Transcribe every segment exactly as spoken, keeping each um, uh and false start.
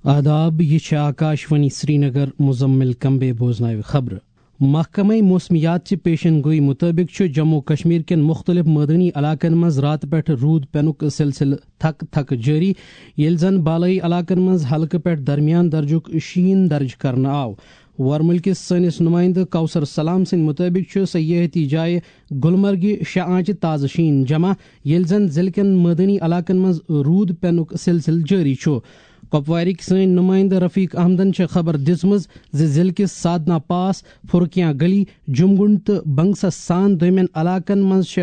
آداب، یہِ چھِ آکاشوانی سرینگر۔ مزمل کمبے بوزناوِ خبرٕ۔ محکمہ موسمیات چہِ پیشن گوئی مطٲبق چھُ جموں و کشمیر کٮ۪ن مُختٔلِف مٲدٲنی علاقن منٛز راتہٕ پٮ۪ٹھ روٗد پٮ۪نُک سلسلہٕ تھکہٕ تھکہٕ جٲری، ییٚلہِ زن بالٲیی علاقن منٛز ہلکہٕ پٮ۪ٹھ درمیان درجُک شیٖن درج کرنہٕ آو۔ ورمُلکِس سٲنِس نُمٲیندٕ کوثر سلام سٕنٛدِ مُطٲبِق چھُ سیاحتی جایہِ گلمرگہِ شےٚ آنچہِ تازٕ شیٖن جمع، ییٚلہِ زن ضلعہٕ کٮ۪ن مٲدٲنی علاقن منٛز روٗد پٮ۪نُک سلسلہٕ جٲری چھُ۔ کۄپوارٕکۍ سٲنۍ نُمٲیندٕ رفیق احمدن چھِ خبر دِژمٕژ زِ ضلعہٕ کِس سادنا پاس، فرقیاں گلی، جمگنڈ تہٕ بنگسس سان دوٚیمٮ۪ن علاقن منٛز چھِ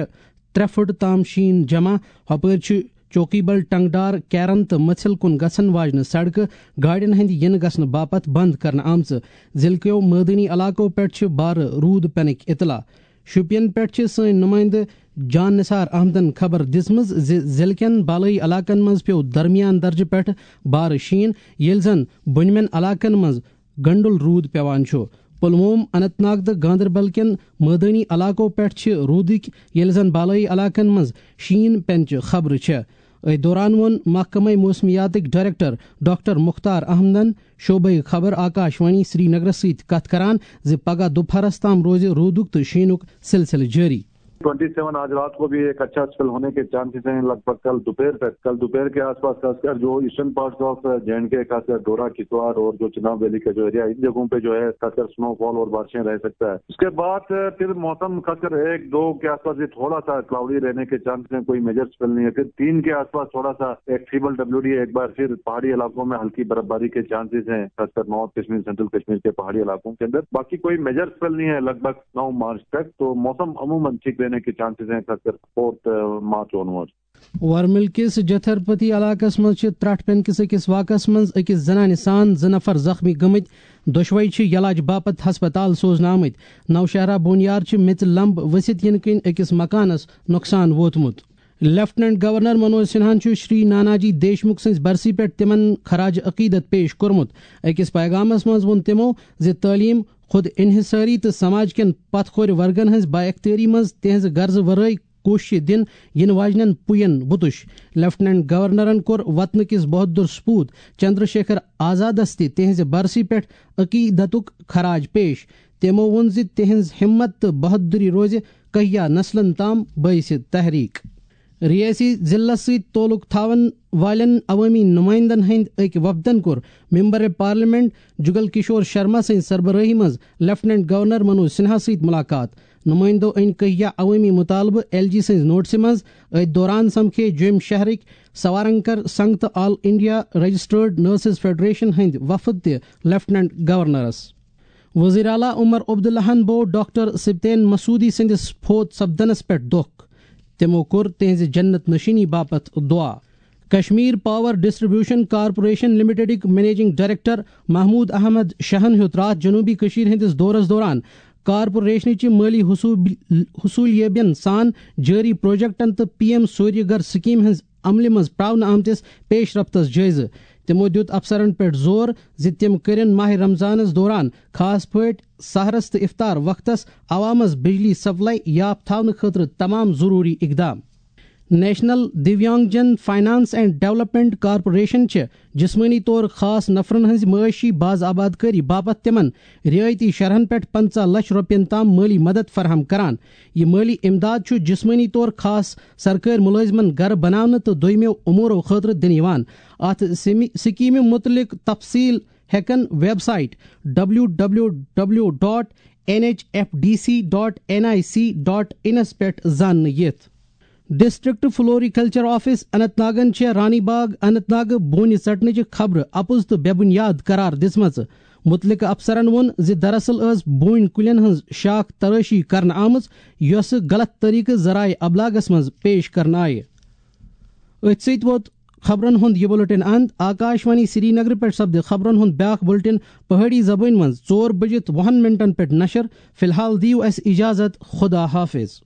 ترٛےٚ فُٹ تام شیٖن جمع۔ ہۄپٲرۍ چھِ چوکی بل، ٹنگڈار، کیرن تہٕ مٔژھِل کُن گژھن واجنہِ سڑکہٕ گاڑٮ۪ن ہٕنٛدِ یِنہٕ گژھنہٕ باپتھ بند کرنہٕ آمژٕ۔ ضلعہٕ کیو مٲدٲنی علاقو پٮ۪ٹھ چھِ بارٕ روٗد پٮ۪نٕکۍ اطلاع۔ شوپین پٮ۪ٹھ چھِ سٲنۍ نُمٲیندٕ جان نثار احمدن خبر دِژمٕژ زِ ضلعہٕ کٮ۪ن بالٲیی علاقن منٛز پیوٚو درمیان درجہٕ پٮ۪ٹھ بارٕ شیٖن، ییٚلہِ زن بۄنمٮ۪ن علاقن منٛز گنڈُل روٗد پٮ۪وان چھُ۔ پلووم، اننت ناگ تہٕ گاندربل کٮ۪ن مٲدٲنی علاقو پٮ۪ٹھ چھِ روٗدٕکۍ، ییٚلہِ زن بالٲیی علاقن منٛز شیٖن پٮ۪نچہِ خبرٕ چھےٚ۔ أتھۍ دوران ووٚن محکمہ موسمیاتٕکۍ ڈائریکٹر ڈاکٹر مختار احمدن شعبہ خبر آکاشوانی سرینگرس سۭتۍ کتھ کران زِ پگاہ دُپہرس تام روزِ روٗدُک تہٕ شیٖنُک سلسلہٕ جٲری۔ ٹوئنٹی سیون آج رات کو بھی ایک اچھا اسپیل ہونے کے چانسز ہیں، لگ بھگ کل دوپہر تک۔ کل دوپہر کے آس پاس خاص کر جو eastern parts of J and K, خاص کر ڈورا کشتواڑ اور جو چناب ویلی کا جو ایریا ہے، ان جگہوں پہ جو ہے خاص کر سنو فال اور بارشیں رہ سکتا ہے۔ اس کے بعد پھر موسم خاص کر ایک دو کے آس پاس یہ تھوڑا سا کلاؤڈی رہنے کے چانسز ہیں، کوئی میجر اسپیل نہیں ہے۔ پھر تین کے آس پاس تھوڑا سا ایک فیبل ڈبلیو ڈی، ایک بار پھر پہاڑی علاقوں میں ہلکی برفباری کے چانسز ہیں، خاص کر نارتھ کشمیر، سینٹرل کشمیر کے پہاڑی علاقوں کے اندر۔ باقی کوئی میجر اسپیل نہیں ہے لگ بھگ نو مارچ تک، تو موسم عموماً ٹھیک رہنے کے چانسز ہیں، خاص کر فورتھ مارچ آن ورڈ۔ ورمل کِس جتھرپتی علاقس منٛز چھِ ترٛٹھ پٮ۪ن کِس أکِس واقعس منٛز أکِس زنانہِ سان زٕ نفر زخمی گٔمٕتۍ۔ دۄشوے چھِ علاج باپتھ ہسپتال سوزنہٕ آمٕتۍ۔ نوشہرہ بونیار چھِ میٚژِ لمب ؤسِتھ یِنہٕ کِنۍ أکِس مکانس نۄقصان ووتمُت۔ لیفٹیننٹ گورنر منوج سنہاہن چھُ شری ناناجی دیشمکھ سٕنٛزِ برسی پٮ۪ٹھ تِمن خراج عقیدت پیش کوٚرمُت۔ أکِس پیغامس منٛز ووٚن تِمو زِ تعلیٖم، خود انحصٲری تہٕ سماج کٮ۪ن پتھ کھورِ ورگن ہٕنٛز با اختیٲری منٛز تِہنٛزِ غرضہٕ ورٲے کوششہِ دِنہٕ یِنہٕ واجنٮ۪ن پُین بُتُش۔ لیفٹیننٹ گورنرن کوٚر وطنہٕ کِس بہادُر سپوت چندر شیکھر آزادس تہِ تِہنٛزِ برسی پٮ۪ٹھ عقیدتُک خراج پیش۔ تِمو ووٚن زِ تِہنٛز ہمت تہٕ بہادری روزِ کہیا نسلن تام باعث تحریک۔ ریاستی ضلعس سۭتۍ تعلق تھاون والٮ۪ن عوٲمی نمائندن ہٕنٛدۍ أکۍ وفدن کوٚر ممبر پارلیمنٹ جگل کشور شرما سٕنٛزِ سربرٲہی منٛز لیفٹیننٹ گورنر منوج سنہا سۭتۍ ملاقات۔ نمائندو أنۍ کہیا عوٲمی مطالبہٕ ایل جی سٕنٛزِ نوٹسہِ منٛز۔ أتھۍ دوران سمکھے جوٚم شہرٕکۍ سوارنکر سنگھ تہٕ آل انڈیا رجسٹرڈ نرسز فیڈریشن ہٕنٛدۍ وفد تہِ لیفٹیننٹ گورنرس۔ وزیر اعلیٰ عمر عبداللہن بوو ڈاکٹر سبتین مسعودی سٕنٛدِس فوت سپدنس پٮ۪ٹھ دۄکھ۔ تِمو کوٚر تِہنٛزِ جنت نشینی باپتھ دعا۔ کشمیر پاور ڈسٹریبیوشن کارپوریشن لمیٹڈٕکۍ منیجنگ ڈائریکٹر محمود احمد شاہن ہیوٚت راتھ جنوبی کشمیر ہٕنٛدِس دورس دوران کارپوریشنٕچہِ مٲلی حصوٗب-، حصوٗلیٲبین سان جٲری پروجیکٹن تہٕ پی ایم سوریہ گھر سکیمہِ ہٕنٛز عملہِ منٛز پراونہٕ آمتِس پیش رفتس جٲیزٕ۔ تِمو دِیُت افسرن پٮ۪ٹھ زور زِ تِم کٔرِن ماہ رمضانس دوران خاص پٲٹھۍ سحرس تہٕ افطار وقتس عوامس بجلی سپلائی یاپھ تھاونہٕ خٲطرٕ تمام ضروٗری اقدام۔ نیشنل دیویانگ جن فنانس اینڈ ڈیولپمنٹ کارپوریشن چھِ جسمٲنی طور خاص نفرن ہٕنٛز معاشی باز آباد کٲری باپتھ تِمن رعایتی شرحن پٮ۪ٹھ پنٛژاہ لچھ رۄپین تام مٲلی مدد فراہم کران۔ یہِ مٲلی امداد چھُ جسمٲنی طور خاص سرکٲرۍ مُلٲزمن گرٕ بناونہٕ تہٕ دوٚیمٮ۪و امورو خٲطرٕ دِنہٕ یِوان۔ اتھ سیمی-، سکیمہِ مُتعلق تفصیل ہیٚکن website W W W dot N H F D C dot N I C dot انس پٮ۪ٹھ زاننہٕ یِتھ۔ ڈسٹرکٹ فلوریکلچر آفس اننت ناگن چھےٚ رانی باغ اننت ناگہٕ بونہِ ژٹنٕچہِ خبرٕ اپُز تہٕ بے بنیاد قرار دِژمٕژ۔ مُتعلقہٕ افسرن ووٚن زِ دراصل ٲس بوٗنۍ کُلٮ۪ن ہٕنٛز شاخ ترٲشی کرنہٕ آمٕژ، یۄسہٕ غلط طریقہٕ ذرائع ابلاغس منٛز پیش کرنہٕ آیہِ۔ أتھۍ سۭتۍ ووت خبرن ہُنٛد یہِ بُلٹن اند۔ آکاشوانی سرینگرٕ پٮ۪ٹھ سپدِ خبرن ہُنٛد بیٛاکھ بُلٹن پہٲڑی زبٲنۍ منٛز ژور بٔجِتھ وُہن منٹن پٮ۪ٹھ نشر۔ فی الحال دِیِو اَسہِ اجازت، خدا حافظ۔